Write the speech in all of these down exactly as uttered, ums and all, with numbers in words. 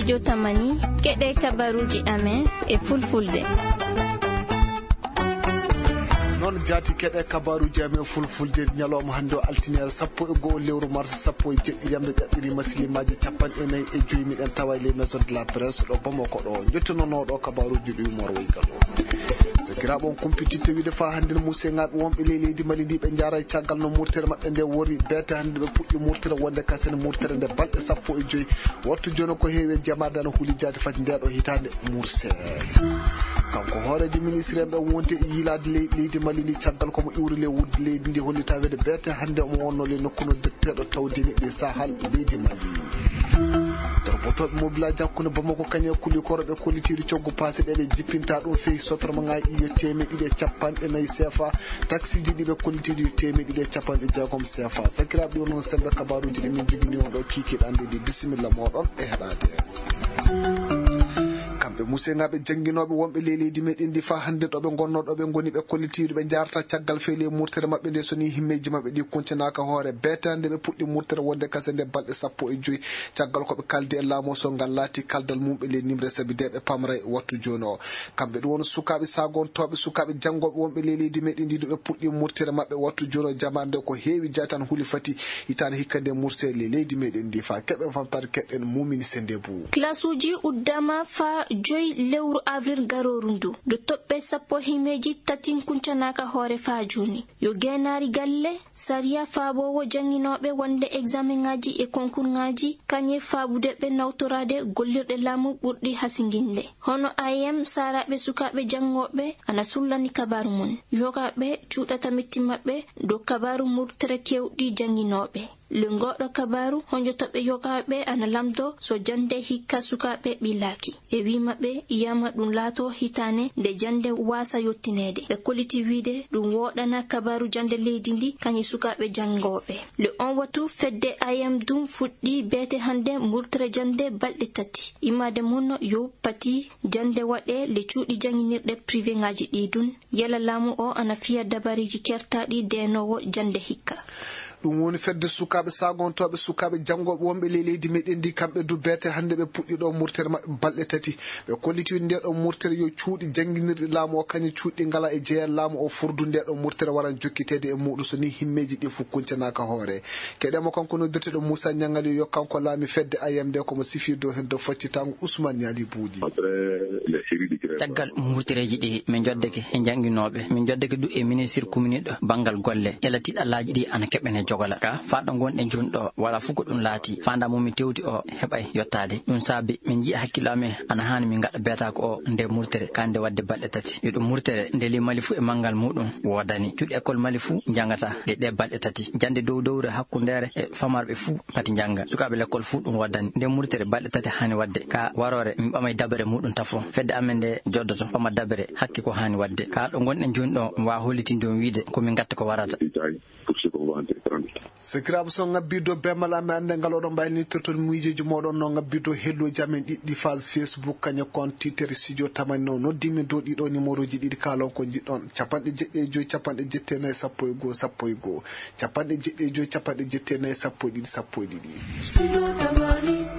Yo tamani, keɗe kabaruuji amen e fulfulde. Noon jaati keɗe kabaruuji amen fulfulde ñalawma hannde o altine sappo e go'o lewru mars sappo e jeɗɗi yamde ƴaɓɓiri masilimaaji capanɗe nayi e joyi miɗen tawa e les maisons de la presse ɗo Bamako ɗo. Njettunonooɗo kabaruuji ɗi Umar Waygal o. Sakiraaɓe on kumpititte wiide faa hannde no museŋaaɓe wonɓe ley leydi Mali ndi ɓe njaara e caggal no murtere maɓɓe nde wori beete hannde ɓe puɗɗi murtere wonde kasen murtere nde balɗe sappo e joyi. Wattu jooni ko heewi e jamaade ana huli jaade fati nde ɗo hitaande murse. Kanko hooreejo ministre en ɓe wonde e yiilaade ley leydi Mali ndi caggal ko mo iwri ley wudde leydi ndi hollita wede beete hannde omo wonno ley nokku no directeur ɗo tawdini ɗi sahal leydi Mali. Torbotooɓe mobilaaji hakkunde Bamako kañe e kuli koro ɓe kollitiiɗo coggu paase ɗe ɓe jippinta ɗum fehi sotorma ŋaaji ɗi yo teemeɗe ɗiɗi e capanɗe nayi sefa. Taksiiji ɗi ɓe kollitiiɗi yo teemeɗe ɗiɗi e capanɗe jeegom sefa. Sakiraaɓe ɗi wonno sembe kabaruuji ɗi min jibini on ɗo kiikiiɗe annde ɗi bisimilla mooɗon e heɗaade. Kamɓe museŋaaɓe jannginooɓe wonɓe ley leydi meɗen ndi faa hannde ɗo ɓe ngonnoo ɗo ɓe ngoni ɓe kollitiiɗo ɓe njaarata caggal feele e murtere maɓɓe nde so ni himmeeji maɓɓe ɗi kuncanaaka hoore beete hannde ɓe puɗɗi murtere wonde kase nde balɗe sappo e joyi caggal ko ɓe kaldi e laamu o so ngal laati kaldal mum ɓe ley nimre sabi de ɓe pamra e wattu jooni o. Kamɓe ɗum won sukaaɓe sagontooɓe sukaaɓe janngooɓe wonɓe ley leydi meɗen ndi ɗo ɓe puɗɗi murtere maɓɓe wattu jooni o jamaande ko heewi jaytan huli fati hitaande hikka nde murse ley leydi meɗen ndi faa keɓe famtaade keɗɗen mumini sende buu. Kilasuuji uddama faa joyi lewru avril garooru ndu. Ɗo toɓɓe sappo himeeji tati kuncanaaka hoore faa jooni. Yo geenaari galle, sariya faaboowo jannginooɓe wonde eksamenŋaaji e konkurŋaaji, kañe faabude ɓe nawtoraade gollirɗe laamu ɓurɗi hasinginde. Hono A M, saaraaɓe sukaaɓe janngooɓe ana sullani kabaaru mum. Yogaaɓe cuuɗata metti maɓɓe dow kabaaru murtere keewɗi jannginooɓe. Le ngooɗo kabaaru, honjotoɓe yogaaɓe ana lamdo so jannde hikka sukaaɓe ɓillaaki. E wii maɓɓe, yama ɗum laato hitaane nde jannde waasa yottineede. Ɓe kolliti wiide ɗum wooɗana kabaaru jannde leydi ndi kañum sukaaɓe janngooɓe. Le on watu fedde A M dum fuɗɗi beete hannde murtere jannde balɗe tati. Immaade mum yo pati jannde waɗe le cuuɗi jannginirɗe privéŋaaji ɗi dun. Yala laamu o ana fiya dabariiji kertaaɗi deenoowo jannde hikka. Ɗum woni fedde sukaaɓe sagontooɓe sukaaɓe janngooɓe wonɓe ley leydi meɗen ndi kamɓe du beete hannde ɓe puɗɗi ɗo murtere maɓɓe balɗe tati. Ɓe kolliti nde ɗo murtere yo cuuɗi jannginirɗi laamu o kañum cuuɗi ngala e jeyal laamu o furdu nde ɗo murtere waran jokkiteede e muɗum so ni himmeeji ɗi fof kuncanaaka hoore. Keɗemo kanko noddirteɗo Moussa Niangali yo kanko laami fedde A M nde komo sifi dow hen dow faccitango Ousmane Niali Buudi. Caggal murtereeji ɗi min njoddeke e jannginooɓe, min njoddeke du e ministre kuminiiɗo banngal golle, ƴellatiiɗo allaaji ɗi ana keɓene jogola. Ka faaɗo ngonɗen jooni ɗo, wala fof ko ɗum laati. Faandaa mo min tewti o heɓay yottaade. Ɗum saabi min njiya hakkillo amen ana haani min ngaɗa beetaako o nde murtere, ka nde waɗde balɗe tati. Yo ɗum murtere nde li Mali fof e manngal muɗum woodani. Cuuɗi école Mali fof njanngata ɗe ɗe balɗe tati. Jannde dow dowre hakkundeere e famarɓe fof pati njannga. Sukaaɓe lekkol fof ɗum waddani. Nde murtere balɗe tati haani waɗde. Ka waroore, min ɓamay dabere muɗum tafo. Fedde amen nde joddoto, ɓama dabere hakke ko haani waɗde. Ka ɗo ngonɗen jooni ɗo, mi waawa hollitinde on wiide ko min ngatta ko warata. Sakiraaɓe, so ngabbi dow bemal amen, annde ngal oɗon mbaylitirton miijeeji mooɗon no ngabbi dow helloji amen ɗiɗɗi phase Facebook, kañum kon Twitter, studio tamani no noddi min dow ɗiɗo numéroji ɗiɗi, kaalon ko njiɗɗon. Capanɗe jeɗɗi e joyi, capanɗe jetti e nayi, sappo e go'o, sappo e go'o. Capanɗe jeɗɗi e joyi, capanɗe jetti e nayi, sappo e ɗiɗi, sappo e ɗiɗi.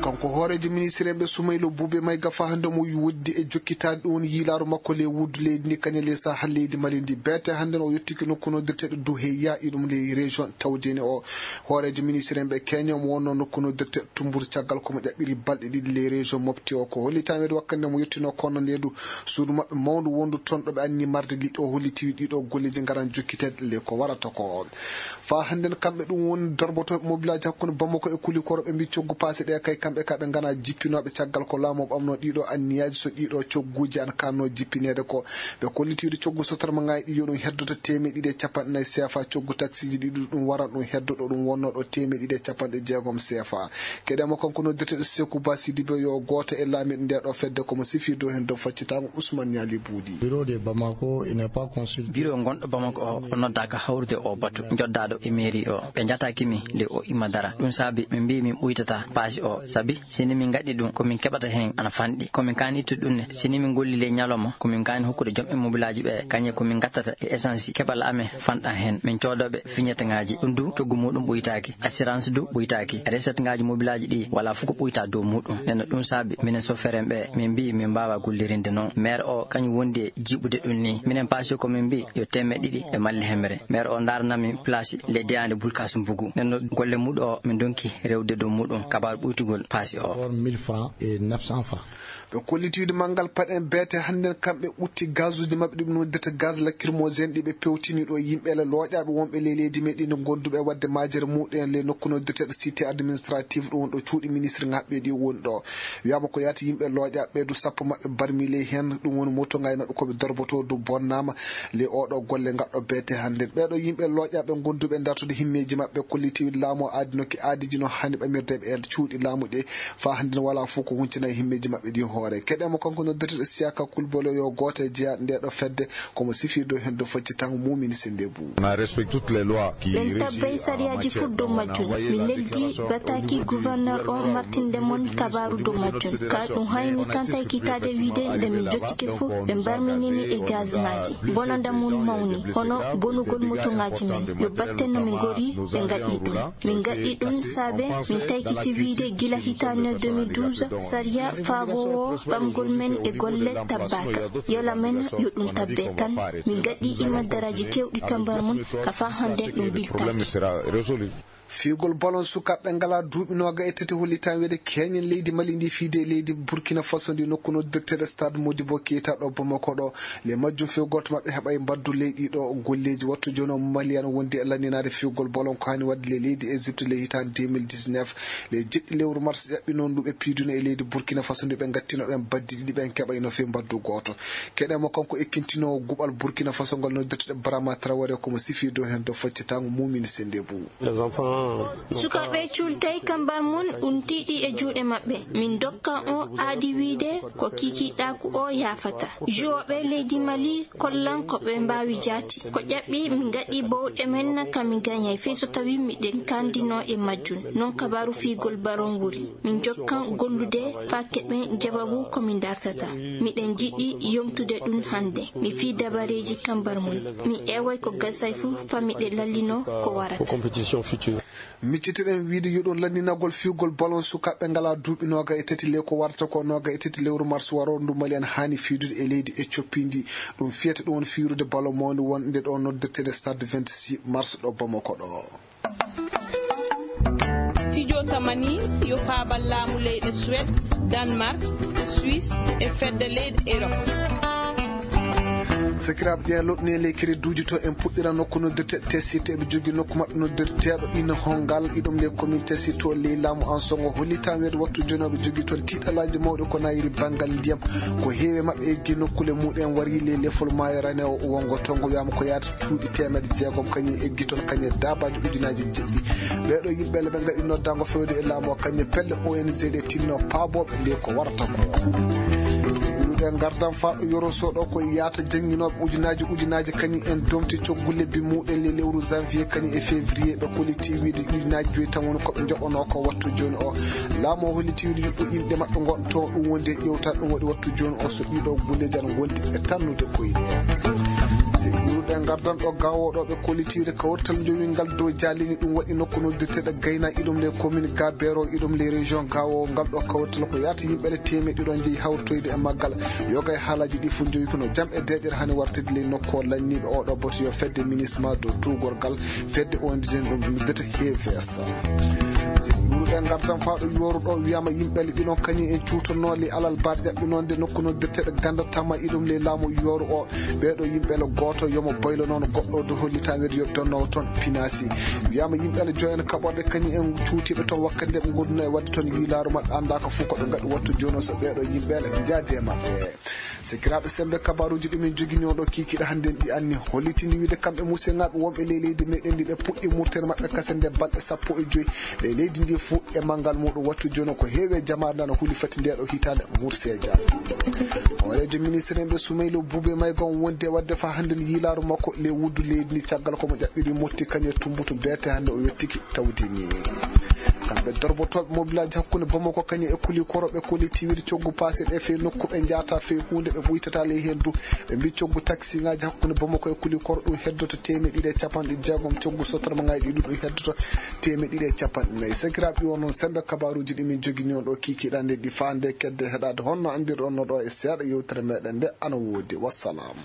Kanko hooreejo ministre en ɓe Sumaylo Bube Mayga fa hannde mo woddi e jokkitaade ɗum woni yiilaaru makko ley wuddu leydi ndi kañum ley sahal leydi Mali ndi. Beete hannde no o yettiki nokku noddirteeɗo Duheya, iɗum ley région Tawdene o. Hooreejo ministre en ɓe Kenya mo wonno nokku noddirteeɗo Tumbur caggal ko mo ƴaɓɓiri balɗe ɗiɗi ley région Mopti o. Ko hollitameede wakkati nde mo yettino kono nde du suudu maɓɓe mawndu wondu toon ɗo ɓe anni marde liɗɗo o holliti ɗiɗo golleji ngaran jokkiteede le ko warata ko. Faa hannden kamɓe ɗum woni dorbotooɓe mobilaaji hakkunde Bamako e Kulikoro ɓe mbii coggu paase ɗe kay kamɓe ka ɓe ngana jippinooɓe caggal ko laamu o ɓamnoo ɗiɗo anniyaaji so ɗiɗo cogguuji ana kaannoo jippineede ko. Ɓe kollitiiɗo coggu sotorma ŋaayi ɗi yo ɗum heddoto teemeɗɗe ɗiɗi e capanɗe nayi seefa, coggu taksiiji ɗiɗi ɗum waran ɗum heddo ɗo ɗum wonnoo ɗo teemeɗɗe ɗiɗi e capanɗe jeegom seefa. Keɗe mo kanko noddirteeɗo Seku Ba Sidibe yo gooto e laamiiɗo nde ɗo fedde ko mo sifii dow heen dow faccitaango Ousmane Niali Buudi. Bureau de Bamako, il n'est pas consulté. Biro gonɗo Bamako o, o noddaaka hawrude o batu. Joddaaɗo e mairie o. Ɓe njataaki mi nde o imma dara. Ɗum saabi min mbii min ɓuytata paasi o, sabi Wi, si ni min ngaɗi ɗum, ko min keɓata heen ana fanɗi. Ko min kaani ittude ɗum ne, si ni min ngolli ley ñalawma, ko min kaani hokkude joom immobilaaji ɓe, kañe ko min ngattata e essence, keɓal amen fanɗan heen. Min coodooɓe vignette ŋaaji, ɗum du coggu muɗum ɓuytaaki, assurance du ɓuytaaki, recette ŋaaji mobilaaji ɗi, wala fof ko ɓuyta dow muɗum. Nden no ɗum saabi, minen sofeer en ɓe, min mbii min mbaawa gollirinde noon. Maire o, kañum wondi e jiiɓude ɗum ni. Minen paasi ko min mbii yo teemeɗɗe ɗiɗi e malle hemre. Maire o ndaarana min place ley deyaande Bulkas Mbugu. Nden no golle muɗum o, min donki rewde dow muɗum. Kabaaru ɓuytugol paasi o. Or mille francs et neuf cents francs. Ɓe kolliti wiide manngal paɗen beete hannden kamɓe ɓutti gazuuji maɓɓe ɗi ɓe noddirta gaz lacrymogène ɗi ɓe pewtini ɗo yimɓe ele looƴaaɓe wonɓe ley leydi meɗen ɗi gonduɓe waɗde majere muɗum en ley nokku noddirteeɗo cité administrative ɗum woni ɗo cuuɗi ministre ŋaaɓɓe ɗi woni ɗo. Wiyaama ko yaati yimɓe looƴaaɓe ɓe du sappo maɓɓe barmi ley heen ɗum woni moto ŋaaji maɓɓe ko ɓe dorboto du bonnaama ley oɗo golle ngaɗɗo beete hannden. Ɓeeɗo yimɓe looƴaaɓe gonduɓe dartude himmeeji maɓɓe kolliti wiide laamu o aadinoki aadiji no hani ɓamirde ɓe e cuuɗi laamu ɗi. Faa hannden walaa fof ko huncina e himmeeji maɓɓe ɗi hoore. Keɗen mo kanko noddirteeɗo Siyaka Kulbalo yo gooto e jeyaaɗo nde ɗo fedde, ko mo sifii dow heen dow faccitango mumini sende bu. On a respecté toutes les lois qui ɓen régit tabbay en sariyaaji matière fof dow majjum. Min neldi bataki gouverneur o martinde mon kabaaru dow majjum. Ka ɗum hayni kanta e kitaade wiide nde min jottike fof ɓe mbarminini e gaz ŋaaji. Bonanda mum mawni, hono bonugol moto ŋaaji men. Yo batten no min ngori, ɓe ngaɗi ɗum. Min ngaɗi ɗum saabe min taykiti wiide gila hitaande deux mille douze, sariya faaboowo ɓamgol men e golle tabbaaka. Yola men yo ɗum tabbe tan. Min ngaɗi imaddaraaji keewɗi kambar mum, ka faa hannden ɗum biltaaki. Fiyugol ballon sukaaɓe ngalaa duuɓi nooga e tati hollitaa wiide keñen leydi Mali ndi fiyde e leydi Burkina Faso ndi nokku noddirteeɗo Stade Modibo Keita ɗo Bamako ɗo. Ley majjum few gooto maɓɓe heɓay mbaddu ley ɗiɗo golleeji. Wattu jooni o Mali ana wondi e lanninaade fiyugol ballon ko hani waɗde ley leydi Égypte ley hitaande deux mille dix-neuf. Ley jeɗɗi lewru mars ƴaɓɓi noon ndu ɓe piidunoo e leydi Burkina Faso ndi ɓe ngattino ɓen baddi ɗiɗi ɓen keɓayno fii mbaddu gooto. Keɗen mo kanko ekkintinoowo guɓal Burkina Faso ngal noddirteeɗo Brahma Traoré ko mo sifii dow heen dow faccitango mumini sende bu. Sukaaɓe cuultay kambar mum ɗum tiiɗi e juuɗe maɓɓe. Min ndokka on aadi wiide ko kikiiɗaaku o yaafata. Joueɓe leydi Mali kollan ko ɓe mbaawi jaati. Ko ƴaɓɓi min ngaɗi bowɗe men ka min gañay fey so tawi miɗen kanndinoo e majjum. Noon kabaaru fiyugol ballon wuri. Min njokkan gollude faa keɓen jawabu ko min dartata. Miɗen jiɗi yomtude ɗum hannde. Mi fii dabareeji kambar mum. Mi ƴeeway ko gasay fof faa miɗen lallino ko warata. Miccitiɗen wiide yo ɗum lanndinagol fiyugol ballon sukaaɓe ngalaa duuɓi nooga e tati ley ko warata ko nooga e tati lewru mars waroo ndu Mali ana haani fiydude e leydi Éthiopie ndi. Ɗum fiyata ɗum woni fiyrude ballon mawnde wonde ɗo noddirteede Stade vingt-six mars ɗo Bamako ɗo. Studio Tamani yo faabal laamu leyɗe Suède, Danemark, Suisse e fedde leyɗe Europe. Sakiraaɓe, ƴeewa loɗɗini e ley crédit uji to en puɗɗira nokku noddirteeɗo Tessite. Eɓe jogii nokku maɓɓe noddirteeɗo Ina Hongal, iɗum ley commune Tessite to ley laamu Ansongo. Hollitaa weedu wattu jooni oɓe jogii toon tiiɗalaaji mawɗi ko nayiri banngal ndiyam. Ko heewi e maɓɓe eggi nokkuule muɗum en wari ley lefol maayo ranewo wongo tongo wiyaama ko yaata cuuɗi teemedde jeegom kañum eggi toon kañum daabaaji ujunaaji jeɗɗi. Ɓeeɗo yimɓe le ɓe ngaɗi noddaango fewde e laamu o kañum pelle O N G ɗe tinno paabooɓe nde ko warata ko. Iwrude ngardam faaɗo yoro soɗo ko yaata jannginooɓe ujunaaji ujunaaji kañum en domti coggu lebbi muɗen le lewru janvier kañum e février ɓe kolliti wiide ujunaaji joyi tan woni ko ɓe njoɓonoo ko wattu jooni o. Laamu o holliti wiide yuɓɓo inɗe maɓɓe ngonto ɗum wondi e ƴewtal ɗum waɗi wattu jooni o so ɗiɗo golleeji ana ngondi e tannude koyɗe. Si iwrude ngardan ɗo gawo ɗo ɓe kolliti wiide kawrital njowi ngal dow jalini ɗum waɗi nokku noddirteeɗo gayna iɗum le commune gabero iɗum le région gawo ngal ɗo kawrital ko yarti yimɓe le teemeɗɗe ɗiɗo jeyi hawritoyde e maggal. Yoga e haalaaji ɗi fof njowi kono jam e deeƴere hani wartide ley nokku o lanniiɓe oɗo boto yo fedde ministre ma dow tuugorgal fedde O N G ɗum luddata H V S. Yuruɗe ngartan faaɗo yooruɗo wiyama yimɓe le ɗiɗon kañum en cuutonoo le alal bar ƴaɓɓinonde nokku noddirteɗo ganda tama iɗum le laamu yooru o. Ɓeeɗo yimɓe le gooto yomo boylo noon goɗɗo do hollita wede yo donnowo toon pinasi. Wiyama yimɓe le joyen kaɓorde kañum en cuutiɓe toon wakkati nde ɓe gonduno e wadde toon yiilaaru maɓɓe annda ko fof ko ɓe ngaɗi wattu jooni o so ɓeeɗo yimɓe le jaade e maɓɓe. Sekiraaɓe sembe kabaruuji ɗi min jogini on ɗo kiikiiɗe hannde en ɗi anni hollitini wiide kamɓe musenŋaaɓe wonɓe ley leydi meɗen ndi ɓe puɗɗi murtere maɓɓe kasen nde balɗe sappo e joyi ley leydi ndi fof e manngal muɗum wattu jooni ko heewi e jamaare nde ana huli fati nde ɗo hitaande murseeja. Hooreejo ministre en ɓe Sumaylo Bube Mayga on wondi e wadde faa hannde yiilaaru makko ley wuddu leydi ndi caggal ko mo ƴaɓɓiri motti kañum e tumbutu beete hannde o yettiki tawdi ni. Kamɓe dorbotooɓe mobilaaji hakkunde Bamako kañum e Kuli Koro, ɓe koli tiwiri coggu paase ɗe fee nokku ɓe njahata fee huunde, ɓe ɓuytata ley heen du. Ɓe mbi coggu taksiŋaaji hakkunde Bamako e Kuli Koro ɗum heddoto teemeɗɗe ɗiɗi e capanɗe jeegom, coggu sotormaŋaaji ɗi du ɗum heddoto teemeɗɗe ɗiɗi e capanɗe nayi. Sakiraaɓe, ɗi won noon semmbe kabaaruuji ɗi min jogini on ɗo kiikiiɗe nde ɗi faande kedde heɗaade honno anndirɗon no ɗo e seeɗa yewtere meɗen nde ana woodi. Wassalam.